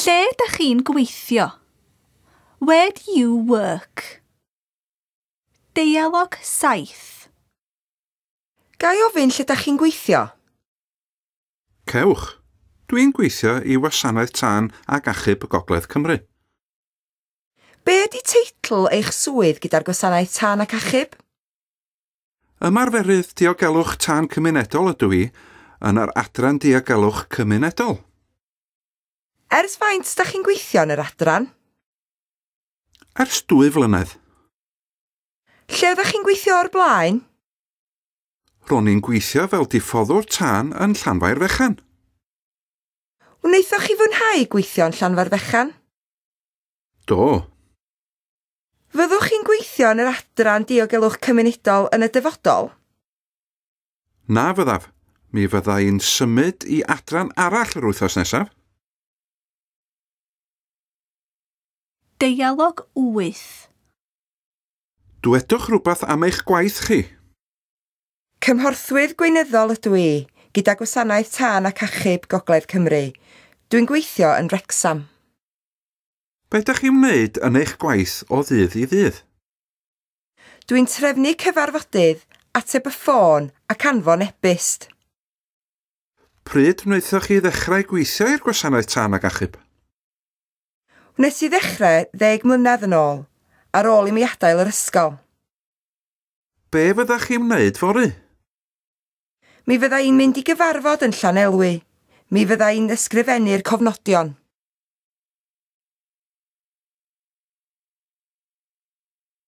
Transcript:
Lle dach chi'n gweithio? Where do you work? Deialog 7. Ga i ofyn lle dach chi'n gweithio? Cewch. Dwi'n gweithio i Wasanaeth Tân ac Achub Gogledd Cymru. Be ydy teitl eich swydd gyda'r Gwasanaeth Tân ac Achub? Ymarferydd Diogelwch Tân Cymunedol ydw i yn yr Adran Diogelwch Cymunedol. Ers faint dach chi'n gweithio yn yr adran? Ers 2 flynedd. Lle oeddech chi'n gweithio o'r blaen? Ro'n i'n gweithio fel diffoddwr tân yn Llanfairfechan. Wnaethoch chi fwynhau gweithio yn Llanfairfechan? Do. Fyddwch chi'n gweithio yn yr adran diogelwch cymunedol yn y dyfodol? Na fyddaf. Mi fydda i'n symud i adran arall yr wythnos nesaf. Deialog 8. Dwedwch rhywbeth am eich gwaith chi. Cymhorthwydd gweinyddol ydw i, gyda Gwasanaeth Tân ac Achub Gogledd Cymru. Dwi'n gweithio yn Wrecsam. Be ydych chi'n wneud yn eich gwaith o ddydd i ddydd? Dwi'n trefnu cyfarfodydd, ateb y ffôn ac anfon e-byst. Pryd wnaethoch chi ddechrau gweithio i'r Gwasanaeth Tân ac Achub? Wnes i ddechrau 10 mlynedd yn ôl, ar ôl i mi adael yr ysgol. Be fyddach chi'n wneud fory? Mi fydda i'n mynd i gyfarfod yn Llanelwy. Mi fydda i'n ysgrifennu'r cofnodion.